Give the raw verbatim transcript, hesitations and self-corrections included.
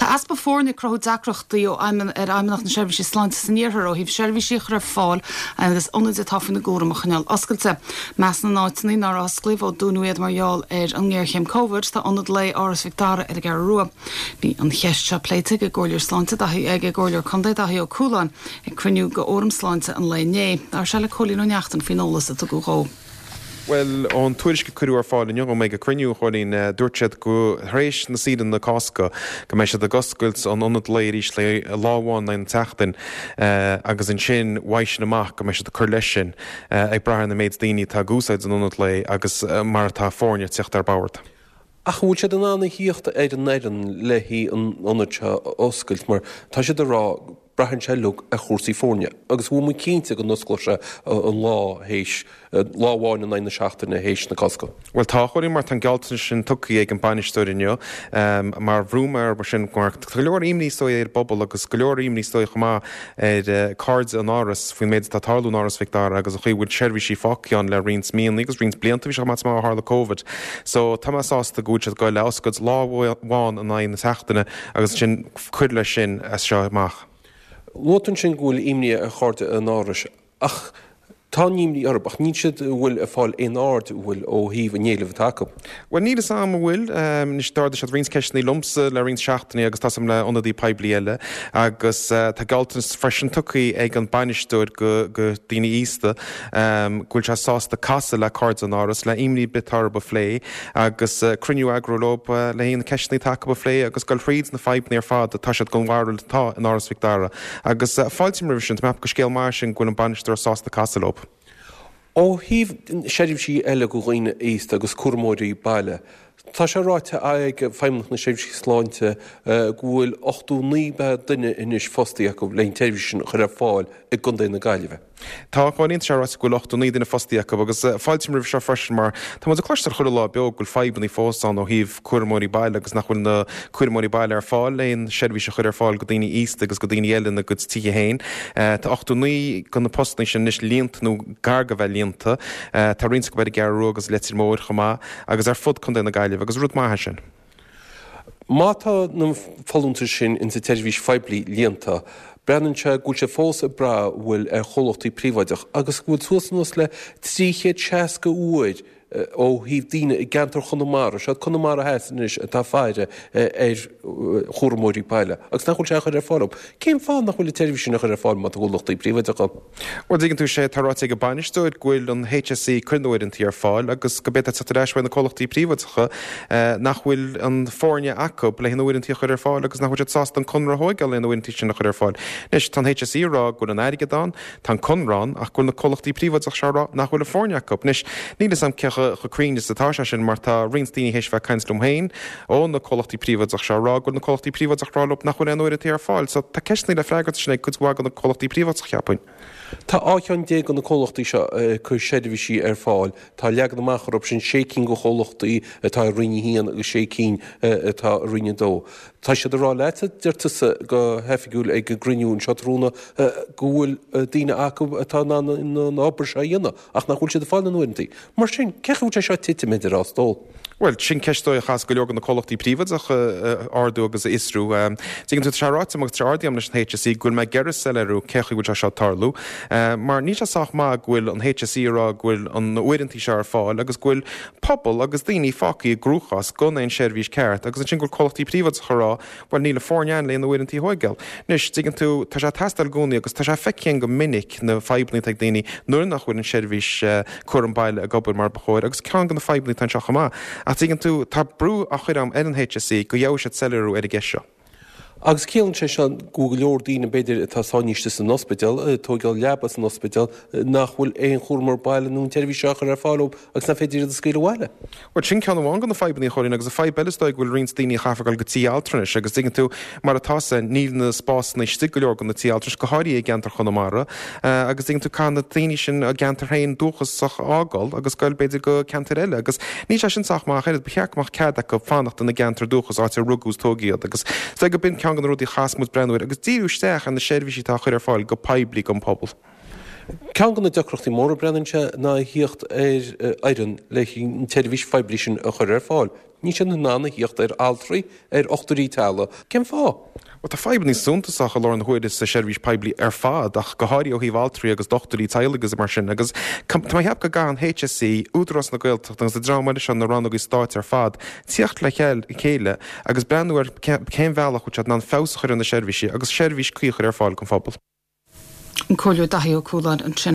Tá easpa foirne ag cruthú deacrachtaí ó ar Fheidhmeannacht na Seirbhíse Sláinte san iarthar ó thaobh seirbhísí a chur ar fáil agus ionaid atá faoina gcúram a choinneáil oscailte. I measc na n-áiteanna nár osclaíodh ó dúnadh iad mar gheall ar an ngéarchéim Covid tá ionad lae Áras Mhic Dara ar an gCeathrú Rua. Bhí an cheist seo pléite ag an gComhairleoir Sláinte ag an gComhairleoir Contae Daithí Ó Cualáin ag cruinniú de Fhóram Sláinte an lae inné. Labhair sé le Cóilín Ó Neachtain faoin eolas a tugadh dó. Well ón tuairisc a cuireadh ar fáil inniu ag an gcruinniú Chóilín dúirt siad go tar éis na saoire na Cásca go mbeidh siad ag oscailt an ionad lae arís le lá amháin an tseachtain agus ansin uaidh sin amach go mbeidh siad ag cur leis sin ag brath ar an méid daoine atá ag úsáid an ionad lae agus mar atá foirne ag teacht ar bord. Ach bhfuil siad in ann a thíocht ar an fhoireann le an ionad seo oscailt mar tá siad ag rá braitheann sé uilig ar chúrsaí foirne agus bhfuil muid cinnte go n-osclóidh sé an lá théis lá amháin in aghaidh na seachtaine théis na Cásca. Well tá chuí mar tá gealltanas sin tugtha ag an bainisteoir inniu mar bhrú mar sin mar go leor imní is dóigh ar an bpobal agus go leor imní is dóigh chomh maith ar cairde an Áras faoin méid atá ag tarlú in Áras Mhic Dara agus an chaoi bhfuil seirbhísí fágtha ann le roinnt míonna agus roinnt blianta bhí sé mar a tharla Covid. So tá mé sásta go bhfuil siad ag goil le oscailt lá amháin in aghaidh na seachtaine agus sin cur leis sin as seo amach. Luaigh tú ansin go bhfuil imní ar chairde an Árais ach tá imní orthu ach níl siad bhfuil ag fáil aon aird bhfuil ó thaobh an éilimh atá acu. Well níl a am bhfuil anois d'ardaigh siad roinnt ceisteanna liomsa le roinnt seachtainí agus tá le ionadaí poiblí eile agus tá gealltanas freisin tugtha ag an bainisteoir go go daoine aosta go bhfuil sé sásta casadh le cairde an Áras le imní ar bith atá orthu a phlé agus cruinniú a eagrú leo le haon ceisteanna atá acu a phlé agus goil thríd na fadhbanna ar fad atá siad den bharúil atá in Áras Mhic Dara agus fáiltím roimh sin gur scéal maith sin go bhfuil an bainisteoir sásta casadh leo. Ó thaobh seirbhísí eile do dhaoine aosta agus cúramóirí baile. Tá sé ráite ag Feidhmeannacht na Seirbhíse Sláinte go bhfuil ochtó naoi duine anois fostaithe acu le an tseirbhís sin a chur ar fáil i gContae na Gaillimhe. Tá chuilín sé ráite go bhfuil ochtó naoi duine fostaithe acu agus fáiltím roimh seo freisin mar Tá muid ag cloisteáil chuile lá beo go bhfuil fadhbanna fós ann ó thaobh cúramóirí baile agus nach bhfuil na cúramóirí baile ar fáil aon seirbhís a chur ar fáil go daoine aosta agus go daoine eile ina gcuid tithe féin. Tá ochtó naoi de na postanna sin anois líonta nó gar go bheith líonta, Tá roinnt go bhfuil Gearú agus Leitir Móir chomh maith agus ar fud Contae na Gaillimhe agus rud maith sin. Má tá na folúntais sin in sa tseirbhís phoiblí líonta, breathnaíonn sé go bhfuil sé fós ag brath bhfuil ar chomhlachtaí príobháideach agus go bhfuil suas anuas le trí chéad seasca uair ó thaobh daoine i gceantar Chonamara, seo Conamara Theas anois atá ag faire ar chúramóirí baile agus nach bhfuil sé a chur ar fáil. Cén fáth nach bhfuil an tseirbhís sin a chur ar fáil má tá comhlachtaí príobháideacha? Well tuigeann tú sé tá ráite ag an bainisteoir go bhfuil an HSE ag cur na n-uaireanta ar fáil agus go b'fhéidir teacht ar ais na comhlachtaí príobháideacha nach bhfuil an foirne acu le na uaireanta a chur ar fáil agus nach bhfuil siad sásta an conradh a thógáil le na uaireanta sin a chur ar fáil. Anois tá an HSE ag rá go bhfuil an airgead ann, tá an conradh ann ach go bhfuil na comhlachtaí príobháideacha seo ag rá nach bhfuil an foirne acu. Anois níl a fhios agam cé chomh cruinn is atá sé sin mar tá roinnt daoine théis bheith caint liom féin ó na comhlachtaí príobháideacha seo ag rá go bhfuil na comhlachtaí príobháideacha ag rá leo nach bhfuil aon uaireanta ar fáil, so tá ceisteanna le freagairt sin ag cuid mhaith de na comhlachtaí príobháideacha cheapfainn. Tá dhá cheann déag de na comhlachtaí seo ag cur seirbhísí ar fáil. Tá leagan amach orthu sin sé cinn de chomhlachtaí atá i Roinn a haon agus sé cinn atá i Roinn a dó. Tá siad ag rá leat deir tusa go hoifigiúil ag an gcruinniú anseo tráthnóna go bhfuil daoine acu atá in ann an obair seo a dhéanamh ach nach bhfuil siad ag fáil na n-uaireanta. Mar sin cé bhfuil sé seo titim idir á stól. Well sin ceist a chaithfeas go leor de na comhlachtaí príobháideacha ardú agus a fhiosrú. Tuigeann tú sé ráite agus tá ardaím leis an HSE go bhfuil mé ag iarraidh soiléiriú cé chaoi bhfuil sé seo tarlú. Mar níl sé sách maith go bhfuil an HSE ag rá go bhfuil an uaireanta seo ar fáil agus go bhfuil pobal agus daoine fágtha i gcruachás gan aon seirbhís ceart agus ansin go bhfuil comhlachtaí príobháideacha ag rá well níl an foirne ann le na uaireanta a thógáil. Anois tuigeann tú tá sé teastáil i gcónaí agus tá sé feicthe go minic na fadhbanna ag daoine nuair nach bhfuil an seirbhís cúram baile ag obair mar ba chóir agus ceann de na fadhbanna atá anseo chomh maith. Ach tuigeann tú tá brú á chur ar an HSE go gheobhaidh siad soiléiriú ar an gceist seo. Agus ciallaíonn sé seo go go leor daoine b'fhéidir atá sáinnithe san ospidéal, tógáil leaba san ospidéal nach bhfuil aon chúramóir baile nó an tseirbhís seo a chur ar fáil agus nach féidir iad a scaoileadh abhaile. Well sin ceann amháin de na fadhbanna Chóilín agus a fadhb eile is dóigh go bhfuil roinnt daoine a chaithfear dul go tí altranais agus tuigeann tú mar atá sé níl na spásanna istigh go leor de na tithe altranais go háirithe i gceantar Chonamara agus tuigeann tú caithfidh na daoine sin a gceantar féin dúchasach a fhágáil agus goil b'fhéidir go ceantar eile agus níl sé sin sách maith oiread ba cheart go mbeadh cead acu fanacht ina gceantar dúchas áit ar rugadh is tógadh iad agus is dóigh go b'in ceann de na rudaí a chaithfeas muid breathnú air agus díriú isteach ar na seirbhísí atá á chur ar fáil go poiblí don pobal. Ceann de na deacrachtaí móra breathnaíonn sé ná a thíocht ar fhoireann le an tseirbhís phoiblí sin a chur ar fáil. Níl siad in ann a thíocht ar altraí, ar dhochtúirí teaghlaigh. Cén fáth? Bhuel, tá fadhbanna suntasacha i láthair na huaire sa seirbhís poiblí ar fad, ach go háirithe ó thaobh altraí agus dochtúirí teaghlaigh agus mar sin. Agus tá mé ag ceapadh go gcaithfidh an HSE, Údarás na Gaeltachta agus an dream eile seo, na rannógaí stáit ar fad, tíocht le chéile agus breathnú ar cén bhealach bhfuil siad in ann feabhas a chur ar na seirbhísí agus seirbhís cuí a chur ar fáil don phobal. An Comhairleoir Daithí Ó Cualáin ansin.